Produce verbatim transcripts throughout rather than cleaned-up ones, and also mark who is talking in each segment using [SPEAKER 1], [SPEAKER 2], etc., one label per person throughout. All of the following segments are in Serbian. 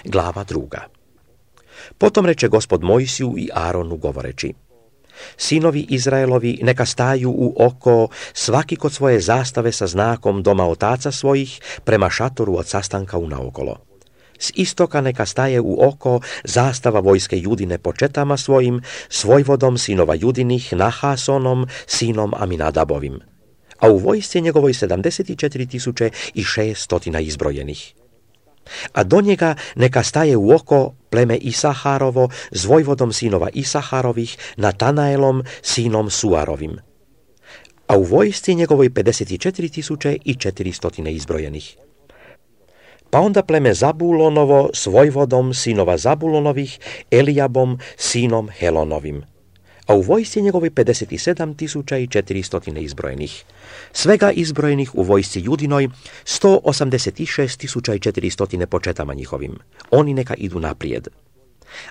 [SPEAKER 1] glava druga. Potom reče Gospod Mojsiju i Aronu govoreći: Sinovi Izraelovi neka staju u oko, svaki kod svoje zastave sa znakom doma otaca svojih, prema šatoru od sastanka unaokolo. S istoka neka staje u oko zastava vojske Judine po četama svojim, s vojvodom sinova Judinih, Nahasonom, sinom Aminadabovim. A u vojsci njegovoj sedamdeset četiri tisuće i šeststotina izbrojenih. A do njega neka staje u oko pleme Isaharovo s vojvodom sinova Isaharovih, Natanaelom, sinom Suarovim. A u vojsci njegovoj pedeset četiri tisuće i četiristo izbrojenih. Pa onda pleme Zabulonovo s vojvodom sinova Zabulonovih, Elijabom, sinom Helonovim. A u vojsci njegovoj pedeset sedam tisuća i četiristo izbrojenih. Svega izbrojenih u vojsci Judinoj sto osamdeset šest tisuća i četiristo po četama njihovim. Oni neka idu naprijed.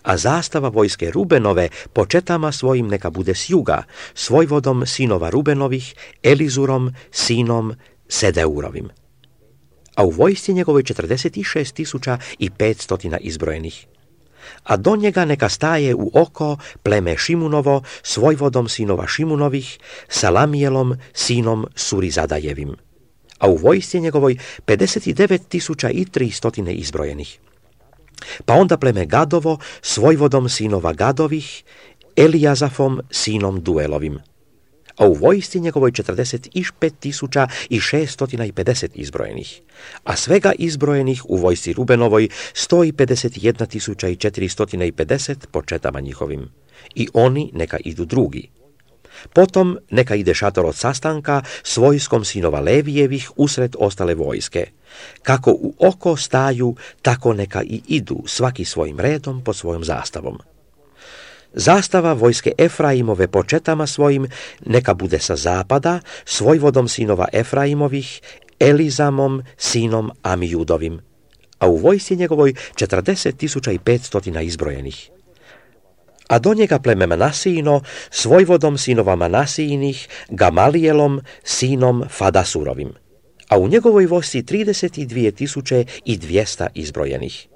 [SPEAKER 1] A zastava vojske Rubenove po četama svojim neka bude s juga, s vojvodom sinova Rubenovih, Elizurom, sinom Sedeurovim. A u vojsci njegovoj četrdeset šest tisuća i petsto izbrojenih. A do njega neka staje u oko pleme Šimunovo s vojvodom sinova Šimunovih, Salamijelom, sinom Surizadajevim. A u vojsci njegovoj pedeset devet tisuća i tristo izbrojenih. Pa onda pleme Gadovo s vojvodom sinova Gadovih, Elijazafom, sinom Duelovim. A u vojsci njegovoj četrdeset pet tisuća i šeststo pedeset izbrojenih, a svega izbrojenih u vojsci Rubenovoj sto pedeset jedna tisuća i četiristo pedeset po četama njihovim. I oni neka idu drugi. Potom neka ide šator od sastanka s vojskom sinova Levijevih usred ostale vojske. Kako u oko staju, tako neka i idu, svaki svojim redom pod svojom zastavom. Zastava vojske Efraimove po četama svojim neka bude sa zapada, s vojvodom sinova Efraimovih, Elizamom, sinom Amijudovim. A u vojsci njegovoj četrdeset tisuća i petsto izbrojenih. A do njega pleme Manasijino s vojvodom sinova Manasijinih, Gamalijelom, sinom Fadasurovim. A u njegovoj vojsci trideset dvije tisuće i dvjesto izbrojenih.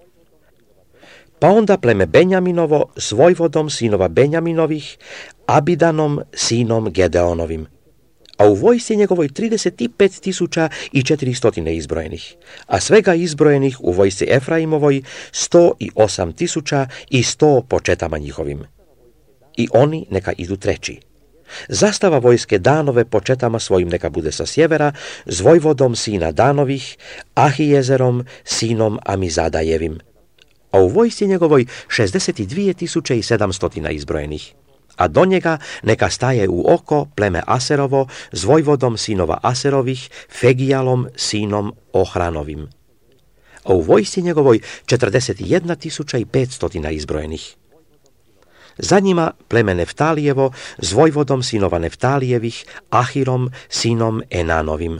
[SPEAKER 1] Pa onda pleme Benjaminovo s vojvodom sinova Benjaminovih, Abidanom, sinom Gedeonovim. A u vojsci njegovoj trideset pet tisuća i četiristo izbrojenih, a svega izbrojenih u vojsci Efraimovoj sto osam tisuća i sto po četama njihovim. I oni neka idu treći. Zastava vojske Danove po četama svojim neka bude sa sjevera, s vojvodom sina Danovih, Ahijezerom, sinom Amizadajevim. A u vojsci njegovoj šezdeset dvije tisuće i sedamsto izbrojenih. A do njega neka staje u oko pleme Aserovo s vojvodom sinova Aserovih, Fegijalom, sinom Ohranovim. A u vojsci njegovoj četrdeset jedna tisuća i petsto izbrojenih. Za njima pleme Neftalijevo s vojvodom sinova Neftalijevih, Ahirom, sinom Enanovim.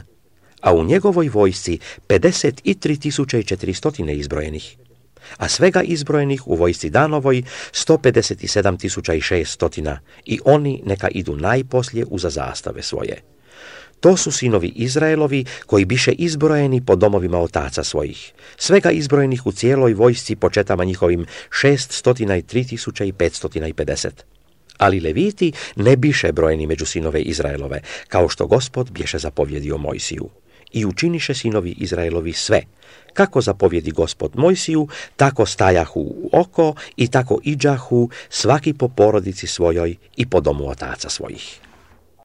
[SPEAKER 1] A u njegovoj vojsci pedeset tri tisuće i četiristo izbrojenih. A svega izbrojenih u vojsci Danovoj sto pedeset sedam tisuća i šeststo i oni neka idu najposlije uza zastave svoje. To su sinovi Izraelovi koji biše izbrojeni po domovima otaca svojih. Svega izbrojenih u cijeloj vojsci po četama njihovim šeststo tri tisuće i petsto pedeset. Ali Leviti ne biše brojeni među sinove Izraelove, kao što Gospod bješe zapovjedio Mojsiju. I učiniše sinovi Izraelovi sve. Kako zapovjedi Gospod Mojsiju, tako stajahu u oko i tako iđahu svaki po porodici svojoj i po domu otaca svojih.